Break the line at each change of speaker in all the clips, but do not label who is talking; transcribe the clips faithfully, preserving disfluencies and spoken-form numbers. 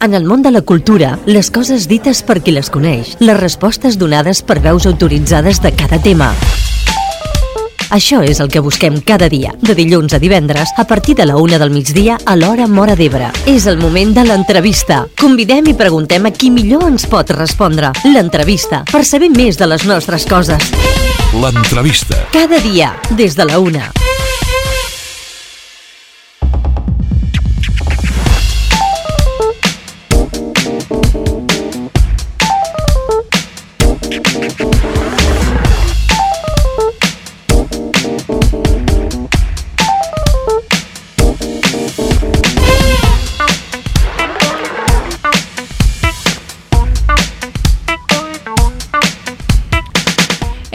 En el món de la cultura, les coses dites per qui les coneix, les respostes donades per veus autoritzades de cada tema. Això és el que busquem cada dia, de dilluns a divendres, a partir de la una del migdia a l'hora Móra d'Ebre. És el moment de l'entrevista. Convidem i preguntem a qui millor ens pot respondre. L'entrevista, per saber més de les nostres coses.
L'entrevista.
Cada dia, des de la una.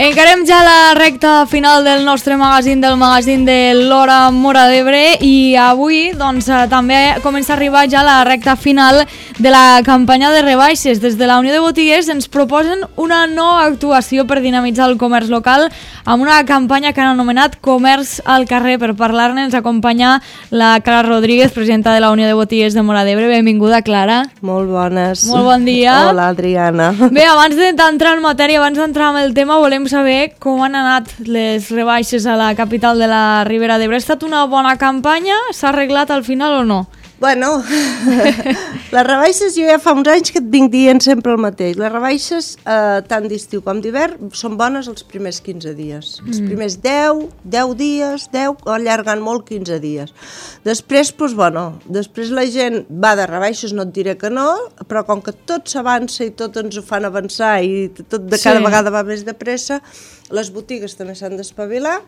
Encarem ja la recta final del nostre magazín, del magazín de l'Hora Móra d'Ebre, i avui doncs, també comença a arribar ja la recta final de la campanya de rebaixes. Des de la Unió de Botiguers ens proposen una nova actuació per dinamitzar el comerç local amb una campanya que han anomenat Comerç al carrer. Per parlar-ne ens acompanya la Clara Rodríguez, presidenta de la Unió de Botiguers de Móra d'Ebre. Benvinguda, Clara.
Molt bones.
Molt bon dia.
Hola, Adriana.
Bé, abans d'entrar en matèria, abans d'entrar en el tema, volem saber com han anat les rebaixes a la capital de la Ribera d'Ebre. Ha estat una bona campanya? S'ha arreglat al final o no?
Bueno, les rebaixes, jo ja fa uns anys que et vinc dient sempre el mateix. Les rebaixes, eh, tant d'estiu com d'hivern, són bones els primers quinze dies. Els primers deu, deu dies, deu, allargant molt quinze dies. Després, doncs, bueno, després la gent va de rebaixes, no et diré que no, però com que tot s'avança i tot ens ho fan avançar i tot de cada sí. vegada va més de pressa, les botigues també s'han d'espavilar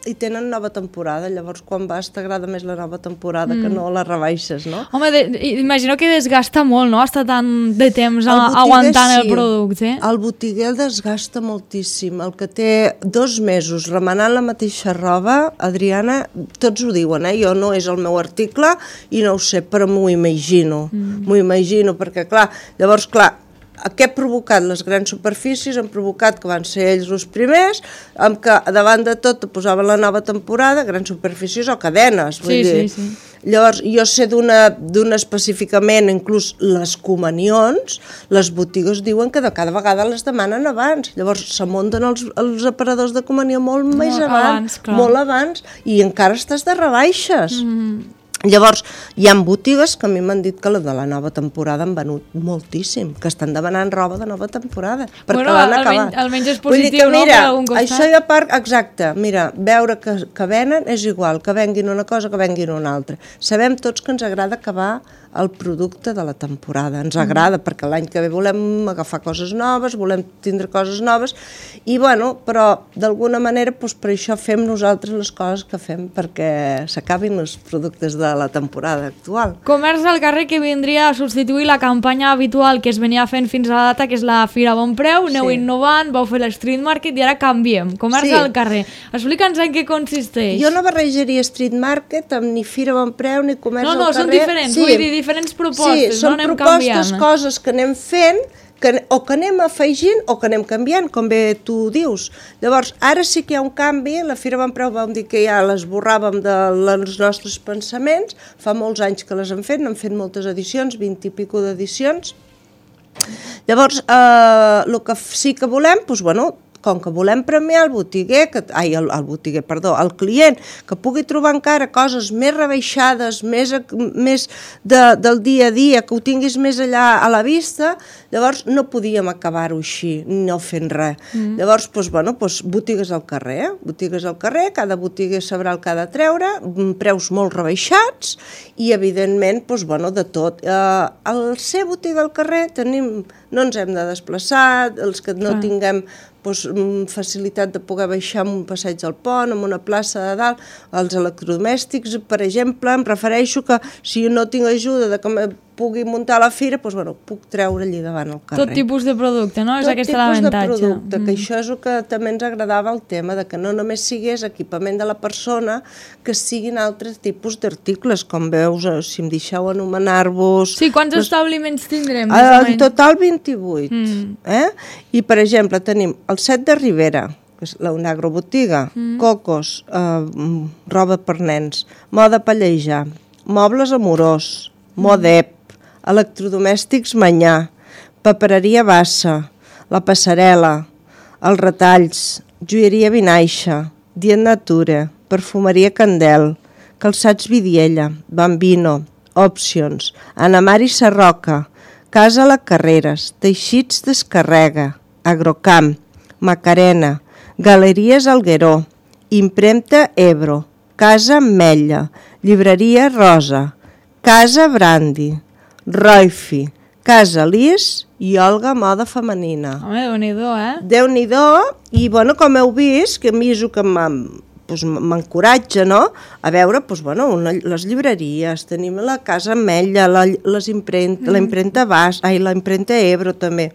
i tenen nova temporada. Llavors, quan vas, t'agrada més la nova temporada mm. que no les rebaixes, no?
Home, de, imagino que desgasta molt, no?, estar tant de temps a, aguantant sí. el producte.
El botiguer el desgasta moltíssim. El que té dos mesos remenant la mateixa roba, Adriana, tots ho diuen, eh? Jo no és el meu article i no ho sé, però m'ho imagino. Mm. M'ho imagino, perquè, clar, llavors, clar, què ha provocat? Les grans superfícies han provocat que van ser ells els primers, amb que davant de tot posaven la nova temporada, grans superfícies o cadenes. Vull
sí,
dir.
sí, sí.
Llavors, jo sé d'una d'una específicament, inclús les comunions, les botigues diuen que de cada vegada les demanen abans. Llavors, s'amunten els, els aparadors de comunió molt no, més abans,
abans
molt abans, i encara estàs de rebaixes.
Mm.
Llavors, hi ha botigues que a mi m'han dit que la de la nova temporada han venut moltíssim, que estan demanant roba de nova temporada, perquè
bueno,
l'han acabat.
Almenys, almenys és positiu,
que, mira,
no?, per algun costat.
Això ja part, exacte, mira, veure que, que venen és igual, que venguin una cosa que venguin una altra. Sabem tots que ens agrada acabar el producte de la temporada, ens agrada, mm. perquè l'any que ve volem agafar coses noves, volem tindre coses noves, i bueno, però d'alguna manera, doncs, per això fem nosaltres les coses que fem, perquè s'acabin els productes de la temporada actual.
Comerç al carrer, que vindria a substituir la campanya habitual que es venia fent fins a la data, que és la Fira Bon Preu, aneu sí. innovant, vau fer l'Street Market i ara canviem, Comerç sí. al carrer. Explica'ns en què consisteix.
Jo no barrejaria Street Market amb ni Fira Bon Preu ni Comerç
no, no,
al carrer.
No, no, són diferents,
sí.
vull dir, diferents propostes,
sí, són
no? Anem
propostes,
canviant.
Coses que anem fent, que, o que anem afegint o que anem canviant, com bé tu dius. Llavors, ara sí que hi ha un canvi, la Fira Bon Preu vam dir que ja l'esborràvem dels nostres pensaments, fa molts anys que les hem fet, n'hem fet moltes edicions, vint i pico d'edicions. Llavors, eh, el que sí que volem, doncs, bueno, com que volem premiar el botiguer, que, ai, el, el botiguer, perdó, el client, que pugui trobar encara coses més rebaixades, més, més de, del dia a dia, que ho tinguis més allà a la vista, llavors no podíem acabar-ho així, no fent res. Mm. Llavors, doncs, bueno, doncs, botigues al carrer, botigues al carrer, cada botiguer sabrà el que ha de treure, preus molt rebaixats i, evidentment, doncs, bueno, de tot. Eh, al ser botiga al carrer tenim, no ens hem de desplaçar, els que no ah. tinguem doncs, facilitat de poder baixar amb un passeig al pont, amb una plaça de dalt, els electrodomèstics, per exemple, em refereixo que si no tinc ajuda de que me pugui muntar a la fira, doncs, bueno, puc treure allí davant el carrer.
Tot tipus de producte, no? És
Tot
aquest
l'avantatge.
Tot
tipus de producte,
mm.
que això és el que també ens agradava el tema, de que no només sigués equipament de la persona, que siguin altres tipus d'articles, com veus, si em deixeu anomenar-vos...
Sí, quants doncs, establiments tindrem?
En total vint-i-vuit.
Mm.
Eh? I, per exemple, tenim el set de Ribera, que és una agrobotiga, mm. cocos, eh, roba per nens, moda palleja, mobles amorós, Modep, electrodomèstics Manyà, papereria Bassa, la Passarel·la, els Retalls, joieria Vinaixa, Dient Nature, perfumeria Candel, calçats Vidiella, Bambino, Options, Anamari Sarroca, Casa La Carreres, Teixits Descarrega, Agrocamp, Macarena, Galeries Algueró, Impremta Ebro, Casa Ametlla, Llibreria Rosa, Casa Brandi, Roifi, Casa Lis i Olga Moda Femenina.
Home, Déu-n'hi-do, eh?
Déu-n'hi-do, i bueno, com heu vist, que a mi és el que m'encoratja, no?, a veure, doncs, bueno, una, les llibreries, tenim la Casa Ametlla, la, les impremta, mm. la impremta Bas, ai, la impremta Ebro també,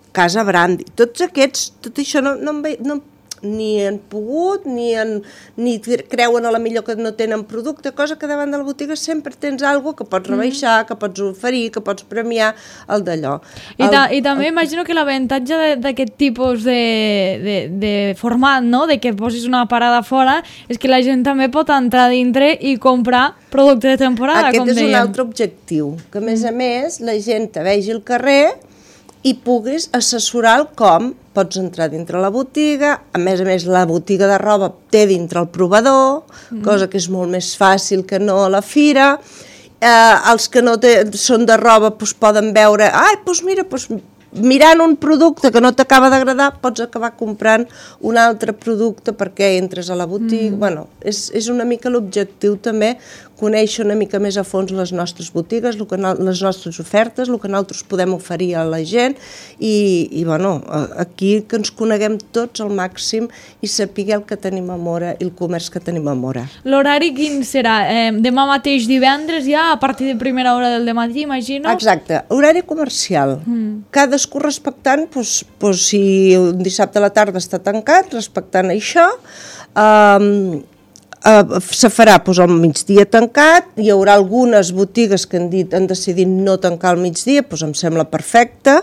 Casa Brandi, tots aquests, tot això no, no, no ni han pogut, ni, han, ni creuen a la millor que no tenen producte, cosa que davant de la botiga sempre tens alguna que pots rebaixar, mm. que pots oferir, que pots premiar, el d'allò.
I, ta, I també el... imagino que l'avantatge d'aquest tipus de, de, de format, no?, de que posis una parada fora, és que la gent també pot entrar dintre i comprar producte de temporada,
Aquest
com dèiem.
Aquest és un altre objectiu, que a més a més la gent te vegi al carrer i puguis assessorar el com. Pots entrar dintre la botiga, a més a més la botiga de roba té dintre el provador, mm. cosa que és molt més fàcil que no a la fira. Eh, els que no té, són de roba doncs poden veure, ai, doncs mira, doncs mirant un producte que no t'acaba d'agradar, pots acabar comprant un altre producte perquè entres a la botiga. Mm. Bueno, és, és una mica l'objectiu també, conèixer una mica més a fons les nostres botigues, el que no, les nostres ofertes, el que nosaltres podem oferir a la gent i, i bueno, aquí que ens coneguem tots al màxim i sapigueu el que tenim a Móra i el comerç que tenim a Móra.
L'horari quin serà? Eh, demà mateix divendres ja, a partir de primera hora del dematí, imagino? Exacte,
horari comercial. Mm. Cadascú respectant, doncs, doncs, si un dissabte a la tarda està tancat, respectant això, eh, Uh, se farà doncs, al migdia tancat, hi haurà algunes botigues que han, dit, han decidit no tancar al migdia, doncs em sembla perfecte,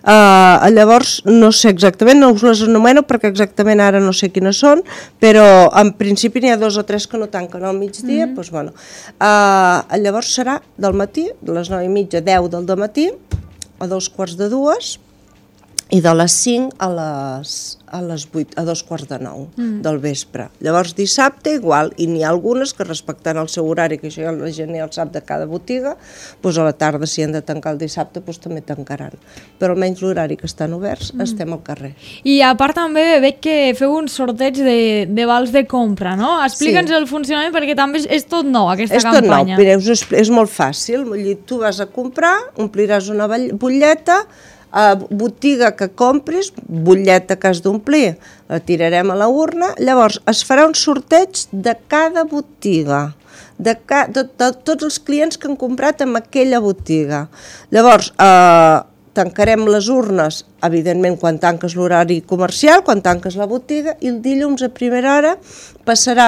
uh, llavors no sé exactament, no us les anomeno perquè exactament ara no sé quines són, però en principi n'hi ha dos o tres que no tanquen al migdia, mm-hmm. doncs bueno, uh, llavors serà del matí, de les nou i mitja, deu del dematí, a dos quarts de dues, i de les cinc a les, a les vuit, a dos quarts de nou mm. del vespre. Llavors dissabte igual, i n'hi ha algunes que respectant el seu horari, que això ja la gent ja el sap de cada botiga, doncs a la tarda si han de tancar el dissabte doncs també tancaran. Però almenys l'horari que estan oberts mm. estem al carrer.
I a part també veig que feu un sorteig de, de vals de compra, no? Explica'ns sí. el funcionament perquè també és, és tot nou aquesta
és
campanya.
És tot nou, Mireu, és, és molt fàcil, vull dir, tu vas a comprar, ompliràs una butlleta, a botiga que compris, butlleta que has d'omplir, la tirarem a la urna, llavors es farà un sorteig de cada botiga, de, ca, de, de tots els clients que han comprat en aquella botiga. Llavors, eh, tancarem les urnes, evidentment, quan tanques l'horari comercial, quan tanques la botiga, i el dilluns a primera hora passarà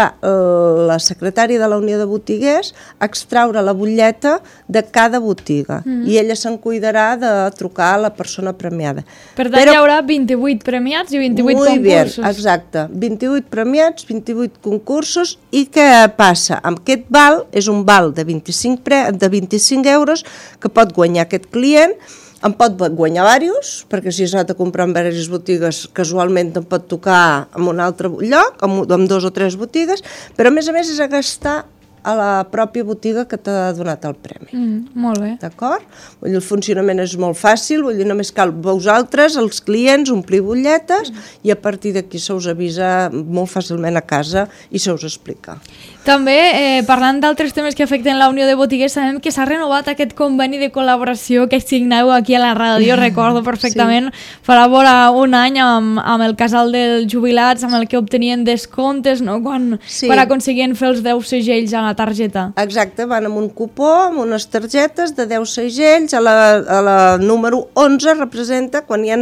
la secretària de la Unió de Botiguers a extraure la butlleta de cada botiga, mm-hmm. i ella se'n cuidarà de trucar a la persona premiada.
Per tant, Però, hi haurà vint-i-vuit premiats i vint-i-vuit concursos.
Bien, exacte, vint-i-vuit premiats, vint-i-vuit concursos, i què passa? Amb aquest val, és un val de vint-i-cinc, pre, de vint-i-cinc euros que pot guanyar aquest client. En pot guanyar diversos, perquè si s'ha de comprar en diverses botigues, casualment em pot tocar en un altre lloc, amb, amb dos o tres botigues, però a més a més és a gastar a la pròpia botiga que t'ha donat el premi.
Mm, molt bé.
D'acord? Vull dir, el funcionament és molt fàcil, vull dir, només cal vosaltres, els clients, omplir butlletes, mm. i a partir d'aquí se us avisa molt fàcilment a casa i se us explica.
També, eh, parlant d'altres temes que afecten la Unió de Botiguers, sabem que s'ha renovat aquest conveni de col·laboració que signeu aquí a la ràdio, recordo perfectament, sí. farà vora un any amb, amb el casal dels jubilats, amb el que obtenien descomptes, no? quan, sí. quan aconseguien fer els deu segells a la targeta.
Exacte, van amb un cupó, amb unes targetes de deu segells, a la, a la número onze representa, quan ja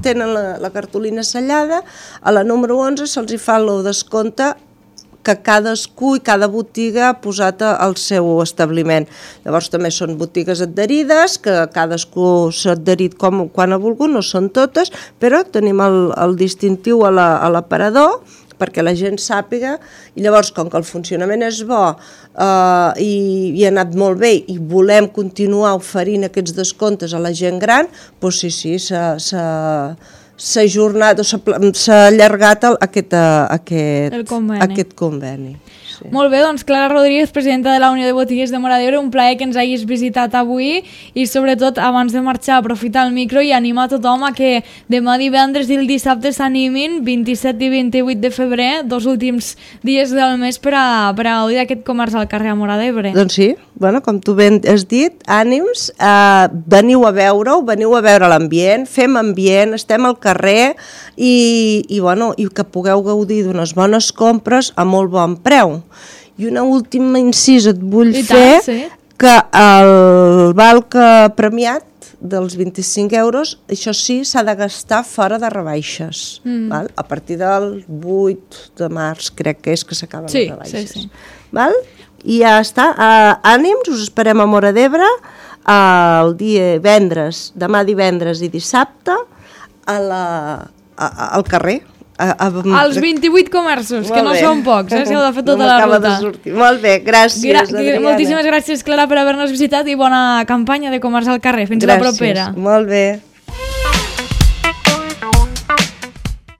tenen la, la cartolina sellada, a la número onze se'ls hi fa el descompte que cadascú i cada botiga ha posat al seu establiment. Llavors també són botigues adherides, que cadascú s'ha adherit com, quan ha volgut, no són totes, però tenim el, el distintiu a l'aparador, perquè la gent sàpiga, i llavors, com que el funcionament és bo eh, i, i ha anat molt bé i volem continuar oferint aquests descomptes a la gent gran, doncs sí, sí, s'ha ajornat o s'ha allargat el, aquest, aquest,
conveni.
aquest conveni. Sí.
Molt bé, doncs Clara Rodríguez, presidenta de la Unió de Botiguers de Móra d'Ebre, un plaer que ens hagis visitat avui i sobretot abans de marxar aprofitar el micro i animar tothom a que demà divendres i el dissabte s'animin, vint-i-set i vint-i-vuit de febrer, dos últims dies del mes per a, per a gaudir d'aquest comerç al carrer a Móra d'Ebre.
Doncs sí, bueno, com tu ben has dit, ànims, eh, veniu a veure-ho, veniu a veure l'ambient, fem ambient, estem al carrer i, i, bueno, i que pugueu gaudir d'unes bones compres a molt bon preu. I una última incís et vull
I
fer,
tant, sí.
que el val que premiat dels vint-i-cinc euros, això sí, s'ha de gastar fora de rebaixes. Mm. Val? A partir del vuit de març, crec que és que s'acaben
sí,
les rebaixes.
Sí, sí.
Val? I ja està. Uh, ànims, us esperem a Móra d'Ebre uh, el dia divendres, demà divendres i dissabte a la, a, a, al carrer. A, a,
als vint-i-vuit comerços, que no
bé.
són pocs, eh, si heu de fer tota
no
la ruta.
De sortir. Molt bé, gràcies,
Gra
Adriana.
Moltíssimes gràcies, Clara, per haver-nos visitat i bona campanya de comerç al carrer. Fins
gràcies.
la propera.
Molt bé.